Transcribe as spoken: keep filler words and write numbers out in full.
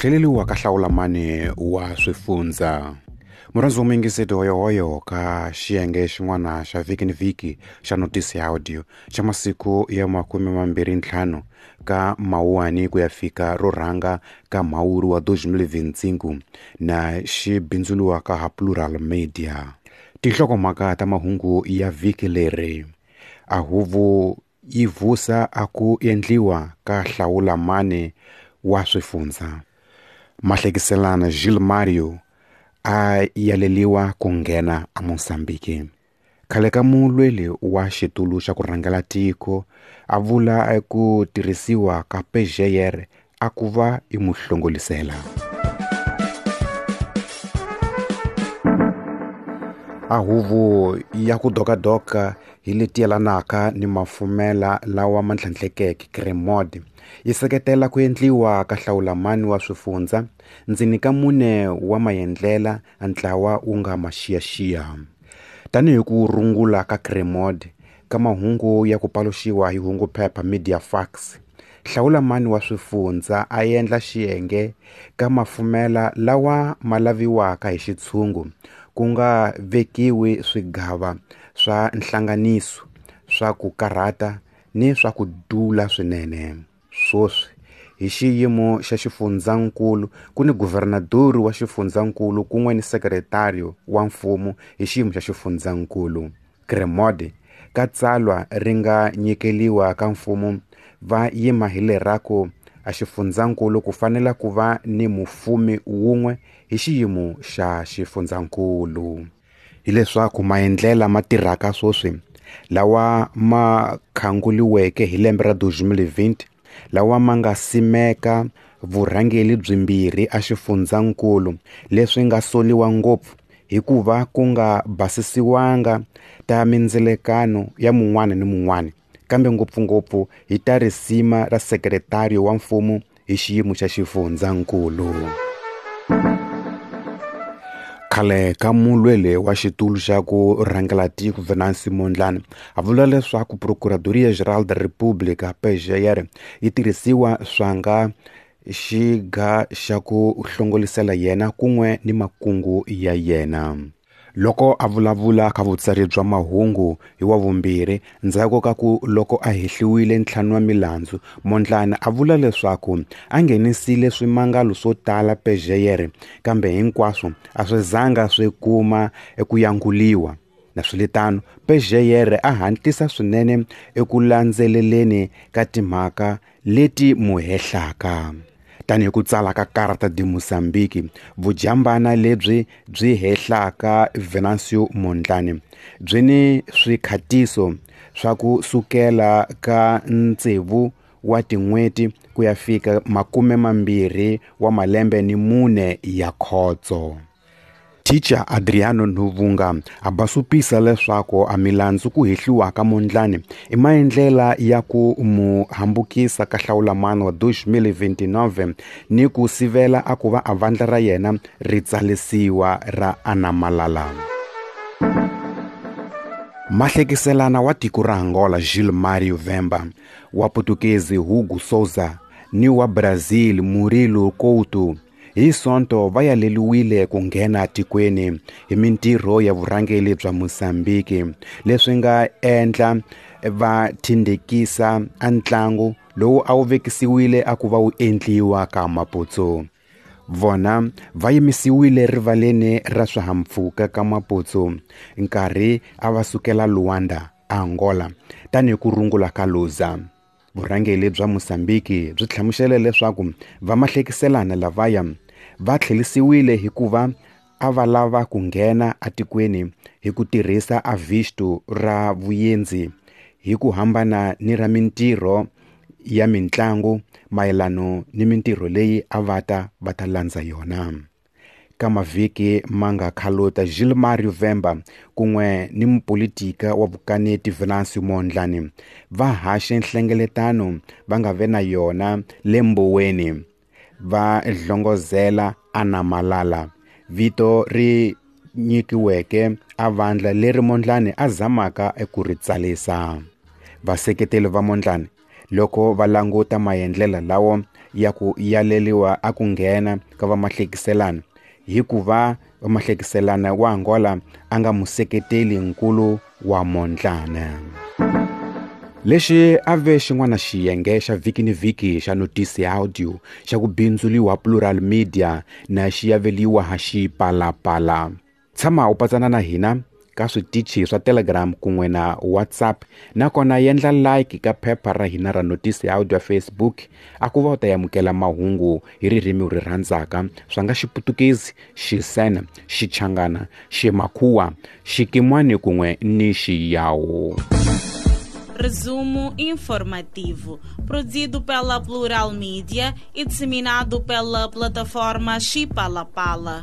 Ku tlheleliwa ka hlawulamani wa swifundza. Murhandzi wa muyingiseti hoyohoyo ka xiyenge xin'wana xa vhiki ni vhiki xa notisi ya audio xa masiku ya makume mambirhi ntlhanu ka mawuwani ku ya fika ro rhanga ka mhawuri wa twenty twenty-five na xi bindzuriwa ka ha Plural Media. Tinhlokomhaka ta mahungu ya vhiki leri: a huvo yi vusa a ku endliwa ka hlawulamani wa swifundza. Mahlekiselana Gilmário a yaleliwa ku nghena eMozambique. Khale ka mulweli wa xitulu xa ku rhangela tiko a vula ku tirhisiwa ka P G R a ku va i muhlongolisela. A huvo ya ku dokadoka hi leti yelanaka ni mafumela lawa ma tlhandlekeke, CREMOD, yi seketela ku endliwa ka hlawulamani wa swifundza ndzeni ka mune wa maendlela a ntlawa wu nga ma xiyaxiya. Tanihi ku rungula ka CREMOD ka mahungu ya ku paluxiwa hi hunguphepha Mediafax, hlawulamani wa swifundza a endla xiyenge ka mafumela lawa ma laviwaka hi xitshungu, ku nga vekiwi swigava swa nhlanganiso swa ku karhata ni swa ku dula swinene. Swoswi hi xiyimo xa xifundzankulu ku ni guvernadori wa xifundzankulu kun'we ni sekretariyo wa mfumo hi xiyimo xa xifundzankulu. CREMOD ka tsalwa ri nga nyikeliwa ka mfumo va yima hi leraku a xifundzankulu ku fanele ku va ni mufumi wun'we hi xiyimo xa xifundzankulu. Hileswaku maendlela ma tirhaka swoswi lawa ma khanguliweke hi lembe ra twenty twenty, lawa ma nga simeka vurhangeli byimbirhi a xifundzankulu, leswi nga soliwa ngopfu hikuva ku nga basisiwanga ta mindzilekano ya mun'wana ni mun'wana, kambe ngopfungopfu hi ta risima ra sekretariyo wa mfumo hi xiyimo xa xifundzankulu. Khale ka mulweli wa xitulu xa ku rhangela tiko Venancio Mondlane a vula leswaku Procuradoria Geral da República, P G R, yi tirhisiwa swanga xiga xa ku hlongolisela yena kun'we ni makungu ya yena. Loko a vulavula ka vutsari bya mahungu hi wa vumbirhi ndzhaku ka ku loko a hehliwile ntlhanu wa milandzu, Mondlane a vula leswaku a nghenisile swimangalo swo tala P G R, kambe hinkwaswo a swi zanga swi kuma eku yanguliwa. Naswilitano, P G R a hatlisa swinene eku landzeleleni ka timhaka leti mu hehlaka. Tanihi ku tsala ka Carta de Moçambique, vujambana lebyi byi hehlaka Venancio Mondlane byi ni swikhatiso swa ku sukela ka tsevu wa tin'hweti ku ya fika makume mambirhi wa malembe ni mune ya khotso. Teacher Adriano Nuvunga a basupisa leswaku a milandzu ku hehliwa ka Mondlane i maendlela ya ku mu hambukisa ka hlawulamani wa twenty twenty-nine ni ku sivela a ku va a vandla ra yena ri tsalisiwa ra Anamalala. Mahlekiselana wa tiko ra Angola Gilmário Vemba, wa Putukezi Hugo Souza ni wa Brazil Murilo Couto hi Sonto va yaleliwile ku nghena tikweni hi mintirho ya vurhangeli bya Mozambique, leswi nga endla va thindekisa a ntlangu lowu a wu vekisiwile a ku va wu endliwa ka Maputo. Vona va yimisiwile rivaleni ra swihahampfhuka ka Maputo nkarhi a va sukela Luanda, Angola, tanihi ku rungula ka Lusa. Vurhangeli bya Mozambique byi hlamusele leswaku vamahlekiselana lavaya va tlhelisiwile hikuva a va lava ku nghena atikweni hi ku tirhisa a visto ra vuendzi hi ku hambana ni ra mintirho ya mintlangu mayelano ni mintirho leyi a va ta va ta landza yona. Ka mavhiki ma nga khaluta, Gilmário Vemba kun'we ni mupolitika wa vukaneti Venancio Mondlane va haxe nhlengeletano va nga ve na yona le Mboweni, va hlongozela Anamalala, vito ri nyikiweke a vandla leri Mondlane a zamaka eku ri tsalisa. Vaseketeli va Mondlane Loko va languta maendlela lawo ya ku yaleliwa a ku nghena ka vamahlekiselana, hikuva vamahlekiselana wa Angola a nga museketeli nkulu wa Mondlane. Lexi a ve xin'wana xiyenge xa vhiki ni vhiki xa Notisi Audio xa ku bindzuliwa Plural Media na xi yaveliwa ha Xipalapala. Tshama u patsana na hina ka switichi swa Telegram kun'we na WhatsApp, nakona yendla like ka phepha ra hina ra Notisi Audio ya Facebook a ku va u ta amukela mahungu hi ririmi u ri rhandzaka swa nga Xiputukezi, Xisena, Xichangana, Ximakhuwa, Xikimwani kun'we ni Xiyawu. Resumo informativo, produzido pela Plural Media e disseminado pela plataforma Xipalapala.